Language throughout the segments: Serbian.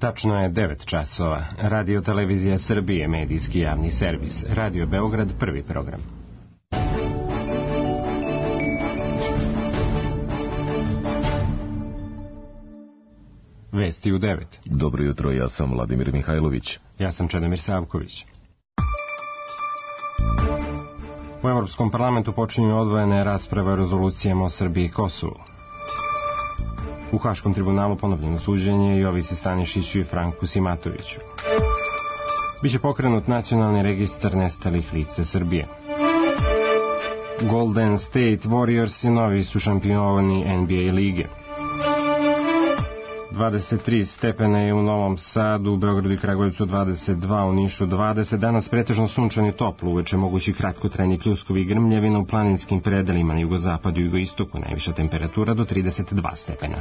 Tačno je 9 časova. Radio Televizija Srbije, medijski javni servis. Radio Beograd, prvi program. Vesti u 9. Dobro jutro, ja sam Vladimir Mihajlović. Ja sam Čedomir Savković. U Evropskom parlamentu počinju odvojene rasprave o rezolucijama o Srbiji i Kosovu. U Haškom tribunalu ponovljeno suđenje Jovici Stanišiću i Franku Simatoviću. Biće pokrenut nacionalni registar nestalih lica Srbije. Golden State Warriors i novi su šampioni NBA lige. 23 stepena je u Novom Sadu, u Beogradu i Kragujevcu 22, u Nišu 20. Danas pretežno sunčan i toplo, uveče mogući kratkotrajni pljuskovi i grmljavina u planinskim predelima na jugozapadu i jugoistoku, najviša temperatura do 32 stepena.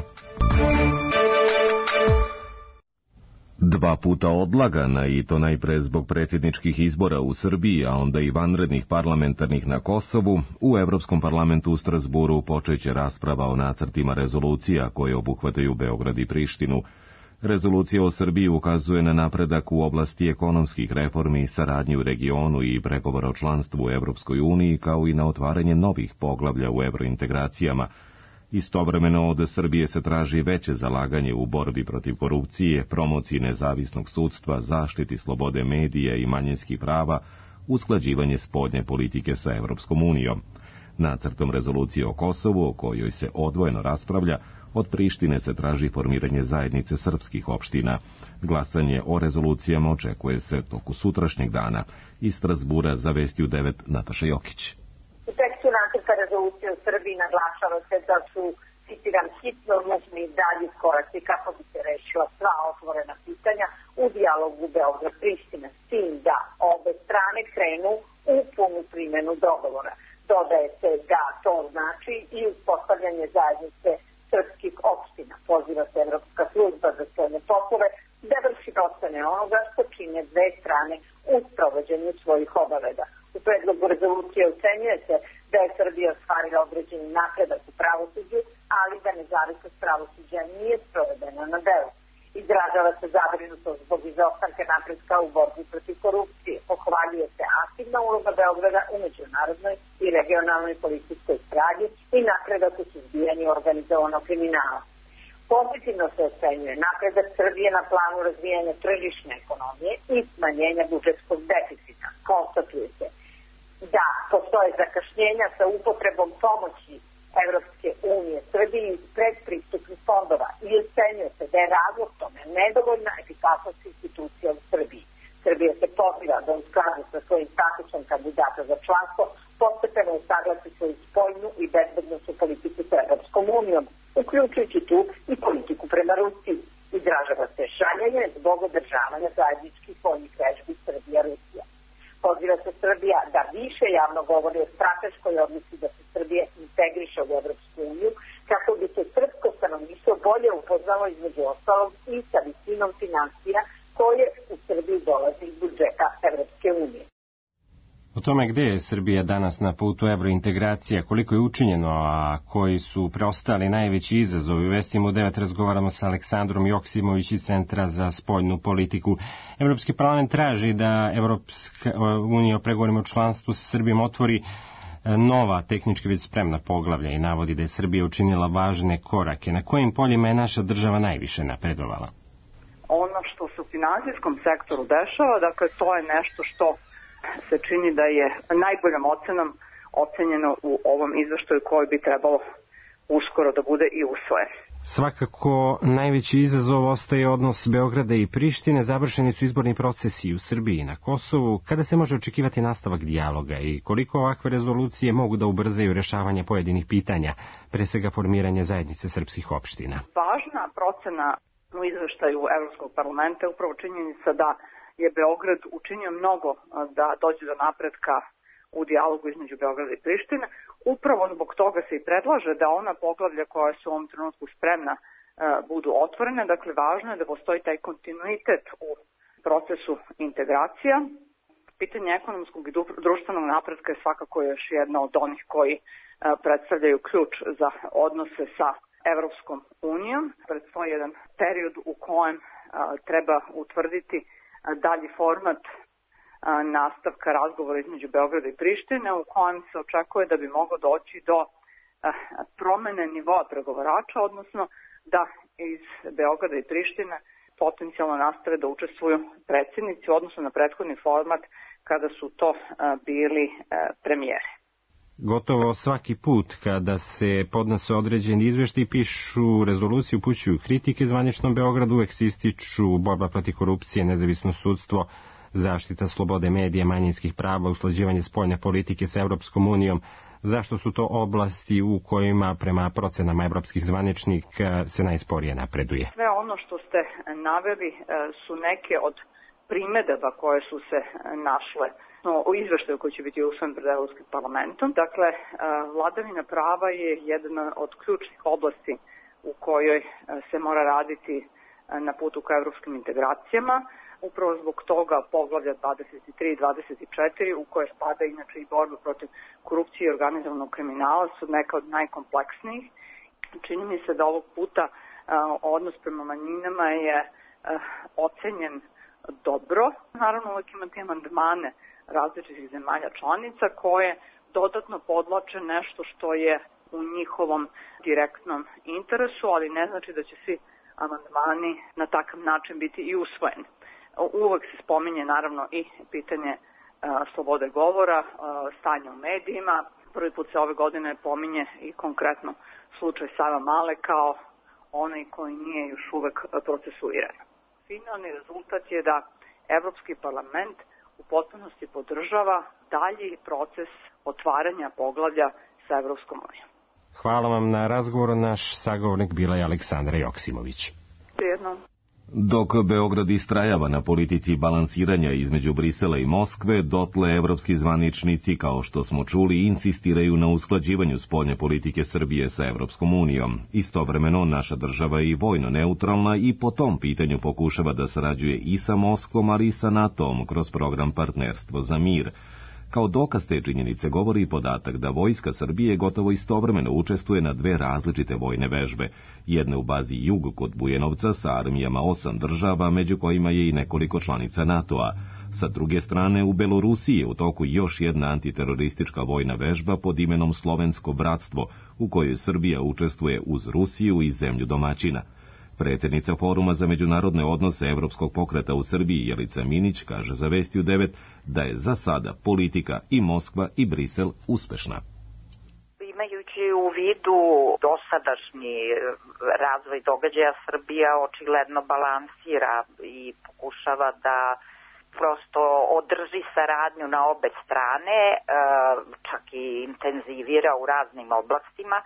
2 puta odlagana, i to najpre zbog predsjedničkih izbora u Srbiji, a onda i vanrednih parlamentarnih na Kosovu, u Evropskom parlamentu u Strasburu počeće rasprava o nacrtima rezolucija koje obuhvataju Beograd i Prištinu. Rezolucija o Srbiji ukazuje na napredak u oblasti ekonomskih reformi, saradnji u regionu i pregovora o članstvu u Evropskoj uniji, kao i na otvaranje novih poglavlja u evrointegracijama. Istovremeno od Srbije se traži veće zalaganje u borbi protiv korupcije, promociji nezavisnog sudstva, zaštiti slobode medija i manjinskih prava, usklađivanje spoljne politike sa Evropskom unijom. Nacrtom rezolucije o Kosovu, o kojoj se odvojeno raspravlja, od Prištine se traži formiranje zajednice srpskih opština. Glasanje o rezolucijama očekuje se toku sutrašnjeg dana. Iz Strasbura za Vesti u 9 Nataša Jokić. U tekstu nacrta rezolucije u Srbiji naglašava se da su, citiram, hitno nužni dalji koraci kako bi se rešila sva otvorena pitanja u dijalogu Beograd-Priština, s tim da obe strane krenu u punu primjenu dogovora. Dodaje se da to znači i uspostavljanje zajednice srpskih opština. Poziva se Evropska služba za spoljne poslove da vrši procene onoga što čine dve strane u sprovođenju svojih obaveza. U predlogu rezolucije ocenjuje se da je Srbija ostvarila određeni napredak u pravosuđu, ali da nezavisnost pravosuđa nije sprovedena na delu. Izražava se zabrinutost zbog izostanka napretka u borbi protiv korupcije. Pohvaljuje se aktivna uloga Beograda u međunarodnoj i regionalnoj policijskoj saradnji i napredak u suzbijanju organizovanog kriminala. Pozitivno se ocenjuje napredak Srbije na planu razvijanja tržišne ekonomije i smanjenja budžetskog deficita. Konstatuje se da postoje zakašnjenja sa upotrebom pomoći Evropske unije Srbiji iz predpristupnih fondova i ocenjuje se da je razlog tome nedovoljna efikasnost institucija u Srbiji. Srbija se poziva da u skladu sa svojim statusom kandidata za članstvo postepeno usaglasi svoju spoljnu i bezbednosnu politiku sa Evropskom unijom, uključujući tu i politiku prema Rusiji. Izražava se šaljenje zbog održavanja zajedničkih vojnih vežbi Srbija-Rusija. Poziva se Srbija da više javno govori o strateškoj odluci da se Srbija integriše u Evropsku uniju, kako bi se srpsko stanovništvo bolje upoznalo između ostalog i sa visinom financija koje u Srbiji dolazi iz budžeta Evropske unije. O tome gde je Srbija danas na putu evrointegracija, koliko je učinjeno, a koji su preostali najveći izazovi, u Vestima u 9 razgovaramo sa Aleksandrom Joksimović iz Centra za spoljnu politiku. Evropski parlament traži da Evropska unija o pregovorima o članstvu sa Srbijom otvori nova tehnički već spremna poglavlja i navodi da je Srbija učinila važne korake. Na kojim poljima je naša država najviše napredovala? Ono što se u finansijskom sektoru dešava, dakle to je nešto što se čini da je najboljom ocenom ocenjeno u ovom izveštaju koji bi trebalo uskoro da bude i usvojen. Svakako najveći izazov ostaje odnos Beograda i Prištine. Završeni su izborni procesi u Srbiji i na Kosovu. Kada se može očekivati nastavak dijaloga i koliko ovakve rezolucije mogu da ubrzaju rešavanje pojedinih pitanja, pre svega formiranje zajednice srpskih opština? Važna procena u izveštaju Evropskog parlamenta je upravo činjenica da je Beograd učinio mnogo da dođe do napretka u dijalogu između Beograda i Prištine. Upravo zbog toga se i predlaže da ona poglavlja koja su u ovom trenutku spremna budu otvorene. Dakle, važno je da postoji taj kontinuitet u procesu integracija. Pitanje ekonomskog i društvenog napretka je svakako još jedna od onih koji predstavljaju ključ za odnose sa Evropskom unijom. Predstoji jedan period u kojem treba utvrditi dalji format nastavka razgovora između Beograda i Prištine, u kojem se očekuje da bi moglo doći do promene nivoa pregovarača, odnosno da iz Beograda i Prištine potencijalno nastave da učestvuju predsjednici, odnosno na prethodni format kada su to bili premijeri. Gotovo svaki put kada se podnose određeni izveštaji, pišu rezoluciju, upućuju kritike zvaničnom Beogradu, uvek se ističu borba protiv korupcije, nezavisno sudstvo, zaštita slobode medija, manjinskih prava, usklađivanje spoljne politike sa Evropskom unijom. Zašto su to oblasti u kojima prema procenama evropskih zvaničnika se najsporije napreduje? Sve ono što ste naveli su neke od primedaba koje su se našle u izveštaju koji će biti usvojen pred Evropskim parlamentom. Dakle, vladavina prava je jedna od ključnih oblasti u kojoj se mora raditi na putu ka evropskim integracijama. Upravo zbog toga poglavlja 23 i 24, u koje spada inače i borba protiv korupcije i organizovanog kriminala, su neka od najkompleksnijih. Čini mi se da ovog puta odnos prema manjinama je ocenjen dobro. Naravno, uvijek imate amandmane različitih zemalja članica koje dodatno podlače nešto što je u njihovom direktnom interesu, ali ne znači da će svi amandmani na takav način biti i usvojeni. Uvek se spominje naravno i pitanje slobode govora, stanja u medijima. Prvi put se ove godine pominje i konkretno slučaj Savamale kao onaj koji nije još uvek procesuiran. Finalni rezultat je da Evropski parlament u potpunosti podržava dalji proces otvaranja poglavlja sa Evropskom unijom. Hvala vam na razgovoru. Naš sagovornik bila je Aleksandra Joksimović. Prijedno. Dok Beograd istrajava na politici balansiranja između Brisela i Moskve, dotle evropski zvaničnici, kao što smo čuli, insistiraju na usklađivanju spoljne politike Srbije sa Evropskom unijom. Istovremeno, naša država je i vojno neutralna i po tom pitanju pokušava da sarađuje i sa Moskvom, ali i sa NATO-om kroz program Partnerstvo za mir. Kao dokaz te činjenice govori i podatak da vojska Srbije gotovo istovremeno učestvuje na dve različite vojne vežbe, jedne u bazi Jug kod Bujanovca sa armijama 8 država, među kojima je i nekoliko članica NATO-a. Sa druge strane, u Belorusiji je u toku još jedna antiteroristička vojna vežba pod imenom Slovensko bratstvo, u kojoj Srbija učestvuje uz Rusiju i zemlju domaćina. Predsjednica Foruma za međunarodne odnose Evropskog pokreta u Srbiji Jelica Minić kaže za Vesti u 9 da je za sada politika i Moskva i Brisel uspešna. Imajući u vidu dosadašnji razvoj događaja, Srbija očigledno balansira i pokušava da prosto održi saradnju na obe strane, čak i intenzivira u raznim oblastima.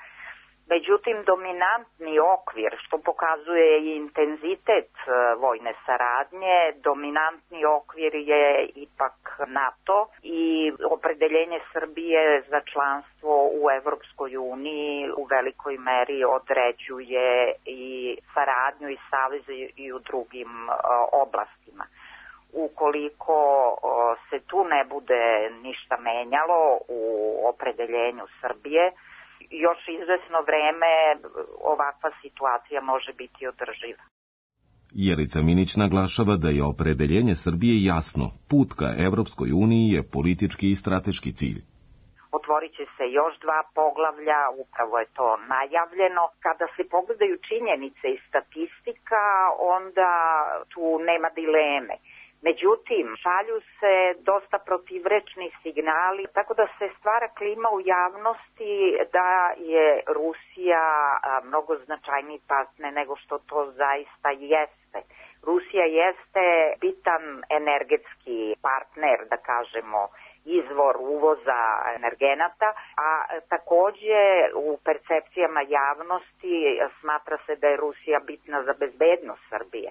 Međutim, dominantni okvir, što pokazuje i intenzitet vojne saradnje, dominantni okvir je ipak NATO i opredeljenje Srbije za članstvo u Evropskoj uniji u velikoj meri određuje i saradnju i saveze i u drugim oblastima. Ukoliko se tu ne bude ništa menjalo u opredeljenju Srbije, još izvesno vreme ovakva situacija može biti održiva. Jelica Minić naglašava da je opredeljenje Srbije jasno. Put ka Evropskoj uniji je politički i strateški cilj. Otvorit će se još 2 poglavlja, upravo je to najavljeno. Kada se pogledaju činjenice i statistika, onda tu nema dileme. Međutim, šalju se dosta protivrečni signali, tako da se stvara klima u javnosti da je Rusija mnogo značajniji partner nego što to zaista jeste. Rusija jeste bitan energetski partner, da kažemo, izvor uvoza energenata, a takođe u percepcijama javnosti smatra se da je Rusija bitna za bezbednost Srbije.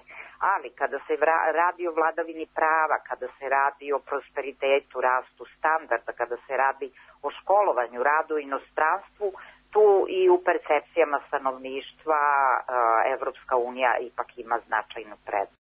Ali kada se radi o vladavini prava, kada se radi o prosperitetu, rastu standarda, kada se radi o školovanju, radu u inostranstvu, tu i u percepcijama stanovništva Evropska unija ipak ima značajnu prednost.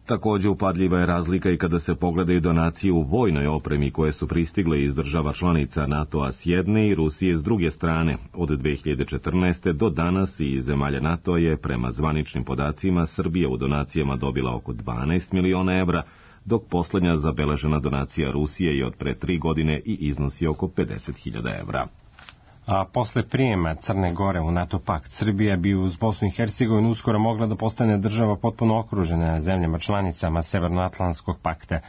Također upadljiva je razlika i kada se pogledaju donacije u vojnoj opremi koje su pristigle iz država članica NATO-a s jedne i Rusije s druge strane. Od 2014. do danas i zemalja NATO je, prema zvaničnim podacima, Srbija u donacijama dobila oko 12 miliona evra, dok posljednja zabeležena donacija Rusije je od pre 3 godine i iznosi oko 50.000 evra. A posle prijema Crne Gore u NATO pakt, Srbija bi uz Bosnu i Hercegovinu uskoro mogla da postane država potpuno okružena zemljama članicama Severnoatlantskog pakta.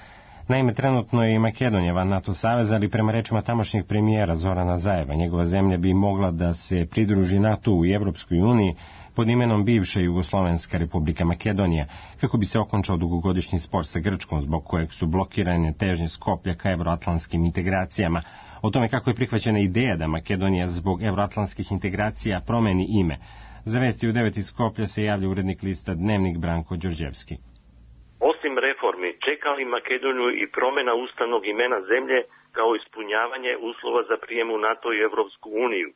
Naime, trenutno je i Makedonija van NATO saveza, ali prema rečima tamošnjeg premijera Zorana Zajeva, njegova zemlja bi mogla da se pridruži NATO u Evropskoj uniji pod imenom bivša Jugoslovenska republika Makedonija, kako bi se okončao dugogodišnji spor sa Grčkom, zbog kojeg su blokirane težnje Skoplja ka evroatlantskim integracijama. O tome kako je prihvaćena ideja da Makedonija zbog evroatlantskih integracija promeni ime. Za vesti u 9 iz Skoplja se javlja urednik lista Dnevnik Branko Đorđevski. Osim reformi, čeka li Makedoniju i promjena ustavnog imena zemlje kao ispunjavanje uslova za prijem u NATO i Evropsku uniju?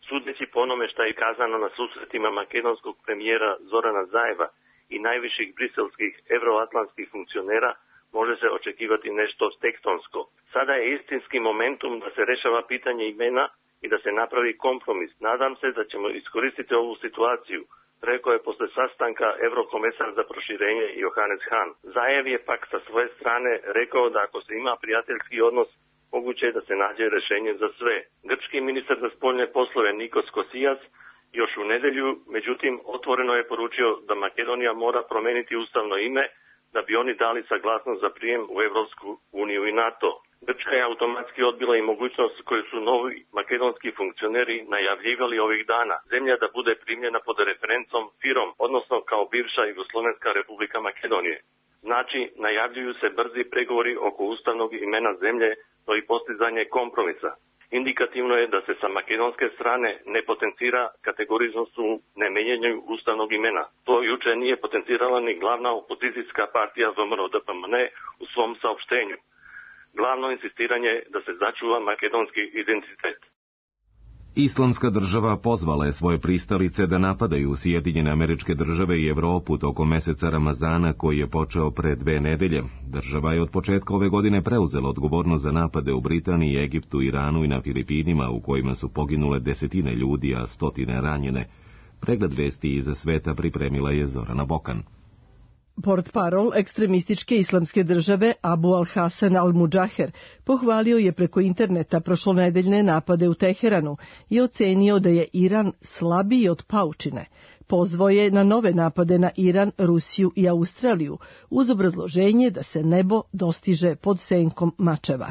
Sudeći po onome što je kazano na susretima makedonskog premijera Zorana Zajeva i najviših briselskih evroatlantskih funkcionera, može se očekivati nešto tektonsko. Sada je istinski momentum da se rešava pitanje imena i da se napravi kompromis. Nadam se da ćemo iskoristiti ovu situaciju, rekao je posle sastanka eurokomesar za proširenje Johannes Hahn. Zajev je pak sa svoje strane rekao da ako se ima prijateljski odnos, moguće je da se nađe rešenje za sve. Grčki ministar za spoljne poslove Nikos Kosijas još u nedelju, međutim, otvoreno je poručio da Makedonija mora promeniti ustavno ime da bi oni dali saglasnost za prijem u Evropsku uniju i NATO. Grčka je automatski odbila i mogućnost koju su novi makedonski funkcioneri najavljivali ovih dana. Zemlja da bude primljena pod referencom FIROM, odnosno kao bivša Jugoslovenska republika Makedonije. Znači, najavljuju se brzi pregovori oko ustavnog imena zemlje, to i postizanje kompromisa. Indikativno je da se sa makedonske strane ne potencira kategoriznost u nemenjanju ustavnog imena. To juče nije potencirala ni glavna opozicijska partija VMRO-DPMN u svom saopštenju. Glavno insistiranje da se začuva makedonski identitet. Islamska država pozvala je svoje pristalice da napadaju Sjedinjene Američke Države i Evropu tokom meseca Ramazana koji je počeo pre 2 nedelje. Država je od početka ove godine preuzela odgovornost za napade u Britaniji, Egiptu, Iranu i na Filipinima u kojima su poginule 10 ljudi, a 100 ranjene. Pregled vesti iza sveta pripremila je Zorana Bokan. Portparol ekstremističke islamske države Abu al-Hasan al-Mudžaher pohvalio je preko interneta prošlonedeljne napade u Teheranu i ocenio da je Iran slabiji od paučine. Pozvao je na nove napade na Iran, Rusiju i Australiju uz obrazloženje da se nebo dostiže pod senkom mačeva.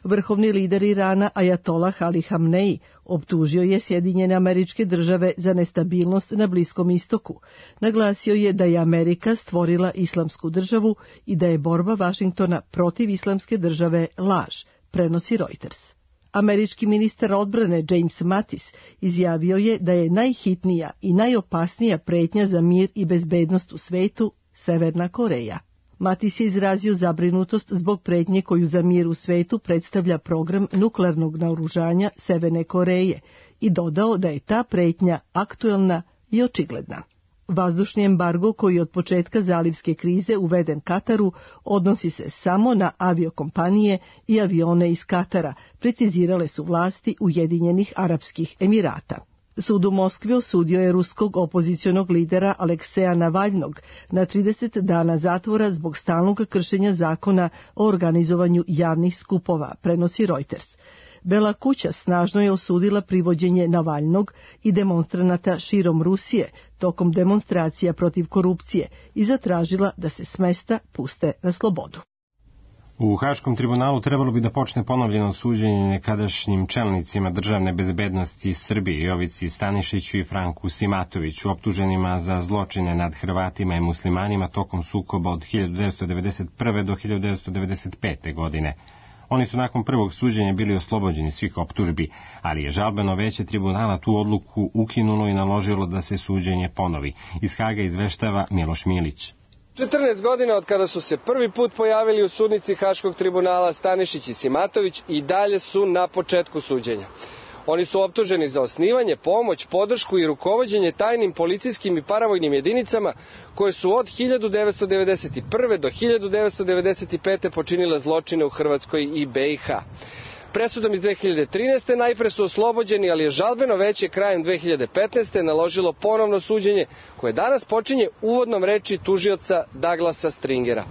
Vrhovni lider Irana Ajatolah Ali Hamneji optužio je Sjedinjene Američke Države za nestabilnost na Bliskom istoku. Naglasio je da je Amerika stvorila islamsku državu i da je borba Vašingtona protiv islamske države laž, prenosi Reuters. Američki ministar odbrane James Mattis izjavio je da je najhitnija i najopasnija pretnja za mir i bezbednost u svetu Severna Koreja. Mattis je izrazio zabrinutost zbog pretnje koju za mir u svetu predstavlja program nuklearnog naoružanja Severne Koreje i dodao da je ta pretnja aktuelna i očigledna. Vazdušni embargo koji je od početka zalivske krize uveden Kataru odnosi se samo na aviokompanije i avione iz Katara, precizirale su vlasti Ujedinjenih Arapskih Emirata. Sud u Moskvi osudio je ruskog opozicionog lidera Alekseja Navalnog na 30 dana zatvora zbog stalnog kršenja zakona o organizovanju javnih skupova, prenosi Reuters. Bela kuća snažno je osudila privođenje Navalnog i demonstranata širom Rusije tokom demonstracija protiv korupcije i zatražila da se s mesta puste na slobodu. U Haškom tribunalu trebalo bi da počne ponovljeno suđenje nekadašnjim čelnicima državne bezbednosti Srbije, Jovici Stanišiću i Franku Simatoviću, optuženima za zločine nad Hrvatima i muslimanima tokom sukoba od 1991. do 1995. godine. Oni su nakon prvog suđenja bili oslobođeni svih optužbi, ali je žalbeno veće tribunala tu odluku ukinulo i naložilo da se suđenje ponovi. Iz Haga izveštava Miloš Milić. 14 godina od kada su se prvi put pojavili u sudnici Haškog tribunala, Stanišić i Simatović i dalje su na početku suđenja. Oni su optuženi za osnivanje, pomoć, podršku i rukovođenje tajnim policijskim i paravojnim jedinicama koje su od 1991. do 1995. počinile zločine u Hrvatskoj i BiH. Presudom iz 2013. najpre su oslobođeni, ali je žalbeno veće krajem 2015. naložilo ponovno suđenje, koje danas počinje uvodnom reči tužioca Douglasa Stringera.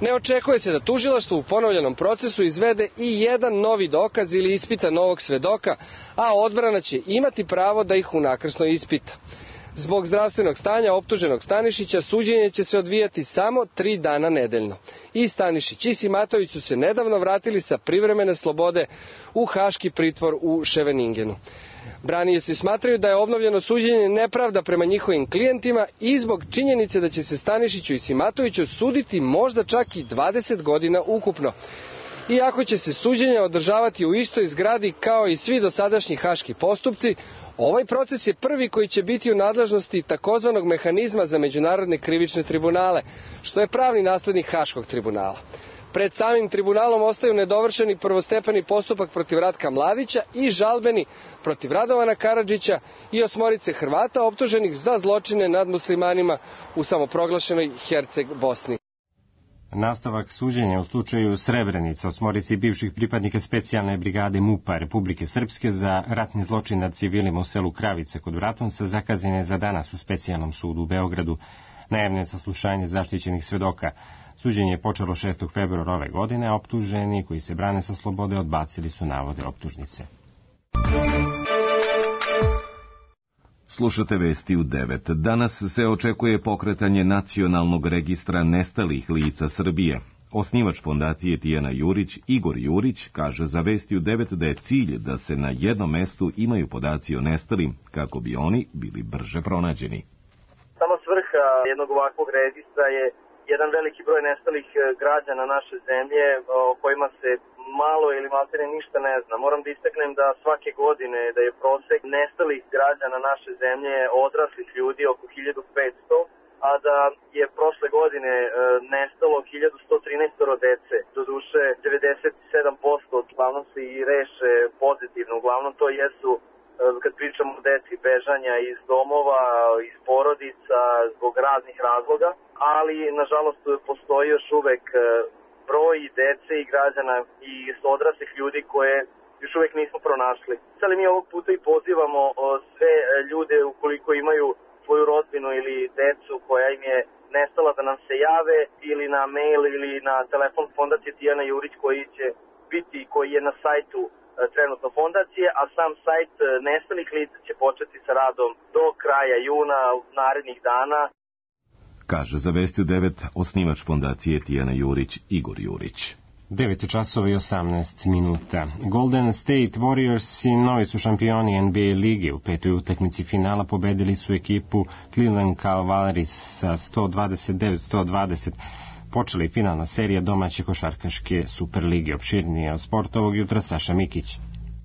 Ne očekuje se da tužilaštvo u ponovljenom procesu izvede i jedan novi dokaz ili ispita novog svedoka, a odbrana će imati pravo da ih unakrsno ispita. Zbog zdravstvenog stanja optuženog Stanišića suđenje će se odvijati samo 3 dana nedeljno. I Stanišić i Simatović su se nedavno vratili sa privremene slobode u haški pritvor u Ševeningenu. Branioci smatraju da je obnovljeno suđenje nepravda prema njihovim klijentima i zbog činjenice da će se Stanišiću i Simatoviću suditi možda čak i 20 godina ukupno. Iako će se suđenje održavati u istoj zgradi kao i svi dosadašnji haški postupci, ovaj proces je prvi koji će biti u nadležnosti takozvanog mehanizma za međunarodne krivične tribunale, što je pravni naslednik Haškog tribunala. Pred samim tribunalom ostaju nedovršeni prvostepeni postupak protiv Ratka Mladića i žalbeni protiv Radovana Karadžića i 8 Hrvata optuženih za zločine nad muslimanima u samoproglašenoj Herceg Bosni. Nastavak suđenja u slučaju Srebrenica 8 bivših pripadnika specijalne brigade MUP-a Republike Srpske za ratni zločin nad civilima u selu Kravice kod Bratunca zakazan je za danas u specijalnom sudu u Beogradu. Najavljeno je saslušanje zaštićenih svedoka. Suđenje je počelo 6. februara ove godine, a optuženi koji se brane sa slobode odbacili su navode optužnice. Slušate vesti u 9. Danas se očekuje pokretanje nacionalnog registra nestalih lica Srbije. Osnivač fondacije Tijana Jurić, Igor Jurić, kaže za vesti u 9 da je cilj da se na jednom mestu imaju podaci o nestalim, kako bi oni bili brže pronađeni. Sama svrha jednog ovakvog registra je jedan veliki broj nestalih građana naše zemlje o kojima se malo ili maltene ništa ne zna. Moram da istaknem da svake godine da je prosek nestalih građana naše zemlje odraslih ljudi oko 1500, a da je prošle godine nestalo 1113 dece. Doduše 97% uglavnom se i reše pozitivno. Uglavnom to jesu, kad pričamo o deci, bežanja iz domova, iz porodica, zbog raznih razloga, ali nažalost postoji još uvek broj dece i građana i odraslih ljudi koje još uvek nismo pronašli. Sada mi ovog puta i pozivamo sve ljude ukoliko imaju svoju rodbinu ili decu koja im je nestala da nam se jave ili na mail ili na telefon fondacije Tijana Jurić koji je na sajtu trenutno fondacije, a sam sajt nestalih lica će početi sa radom do kraja juna narednih dana. Kaže za vesti u 9 osnivač fondacije Tijana Jurić, Igor Jurić. 9:18. Golden State Warriors i novi su šampioni NBA lige. U 5. utakmici finala pobedili su ekipu Cleveland Cavaliers sa 129-120. Počela je finalna serija domaće košarkaške Superlige. Opširnije od sporta ovog jutra Saša Mikić.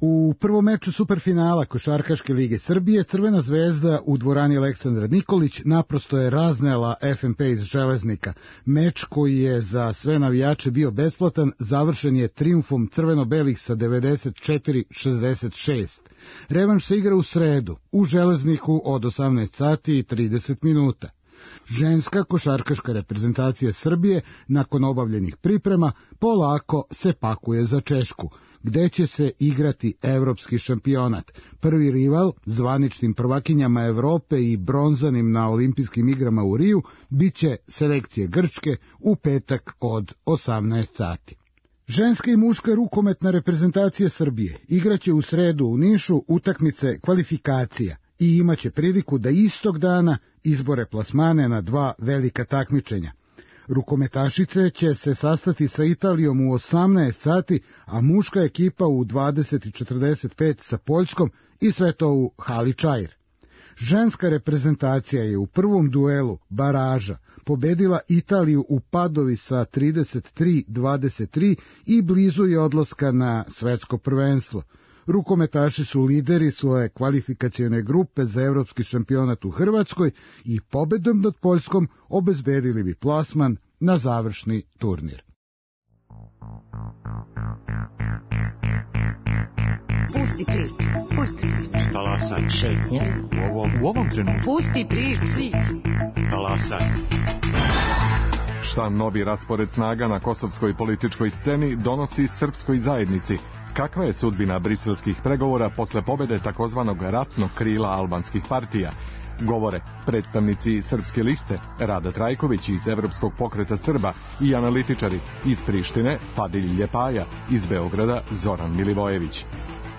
U prvom meču superfinala Košarkaške lige Srbije Crvena zvezda u dvorani Aleksandra Nikolić naprosto je raznela FNP iz Železnika. Meč koji je za sve navijače bio besplatan završen je trijumfom crveno-belih sa 94-66. Revanš se igra u sredu u Železniku od 18:30. Ženska košarkaška reprezentacija Srbije nakon obavljenih priprema polako se pakuje za Češku, gde će se igrati evropski šampionat. Prvi rival, zvaničnim prvakinjama Evrope i bronzanim na olimpijskim igrama u Riju, bit će selekcije Grčke u petak od 18:00. Ženska i muška rukometna reprezentacija Srbije igraće u sredu u Nišu utakmice kvalifikacija i imaće priliku da istog dana izbore plasmane na 2 velika takmičenja. Rukometašice će se sastati sa Italijom u 18:00, a muška ekipa u 20:45 sa Poljskom i sve to u hali Čair. Ženska reprezentacija je u prvom duelu baraža pobedila Italiju u Padovi sa 33-23 i blizu je odlaska na svetsko prvenstvo. Rukometaši su lideri svoje kvalifikacione grupe za evropski šampionat u Hrvatskoj i pobedom nad Poljskom obezbedili bi plasman na završni turnir. Pusti priču. Pusti priču. Talasaj. Šetnja. U ovom trenutku. Pusti priču. Talasaj. Šta novi raspored snaga na kosovskoj političkoj sceni donosi srpskoj zajednici? Kakva je sudbina briselskih pregovora posle pobede takozvanog ratnog krila albanskih partija? Govore predstavnici Srpske liste Rada Trajković iz Evropskog pokreta Srba i analitičari iz Prištine Fadil Ljepaja, iz Beograda Zoran Milivojević.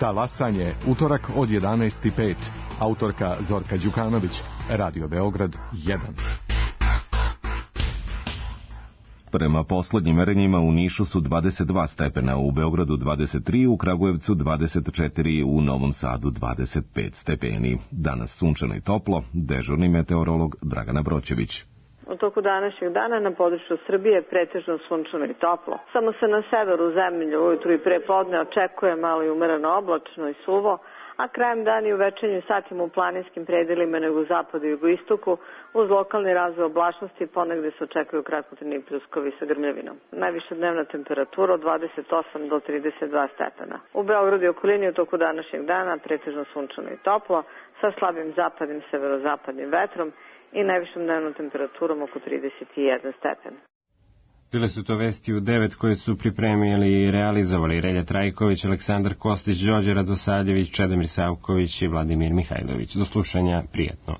Talasanje, utorak od 11:05. Autorka Zorka Đukanović, Radio Beograd 1. Prema poslednjim merenjima u Nišu su 22 stepena, u Beogradu 23, u Kragujevcu 24, u Novom Sadu 25 stepeni. Danas sunčano i toplo, dežurni meteorolog Dragana Broćević. U toku današnjeg dana na području Srbije pretežno sunčano i toplo. Samo se na severu zemlje ujutru i pre podne očekuje malo i umereno oblačno i suvo, a krajem dana i u večernjim satima u planinskim predelima nego u zapadu i jugoistoku uz lokalni razvoj oblačnosti ponegde se očekuju kratkotrajni pljuskovi sa grmljavinom. Najviša dnevna temperatura od 28 do 32 stepena. U Beogradu i okolini u toku današnjeg dana pretežno sunčano i toplo sa slabim zapadnim severozapadnim vetrom i najvišom dnevnom temperaturom oko 31 stepen. Bile su to vesti u 9 koje su pripremili i realizovali Relja Trajković, Aleksandar Kostić, Đorđe Radosavljević, Čedomir Savković i Vladimir Mihajlović. Do slušanja, prijatno.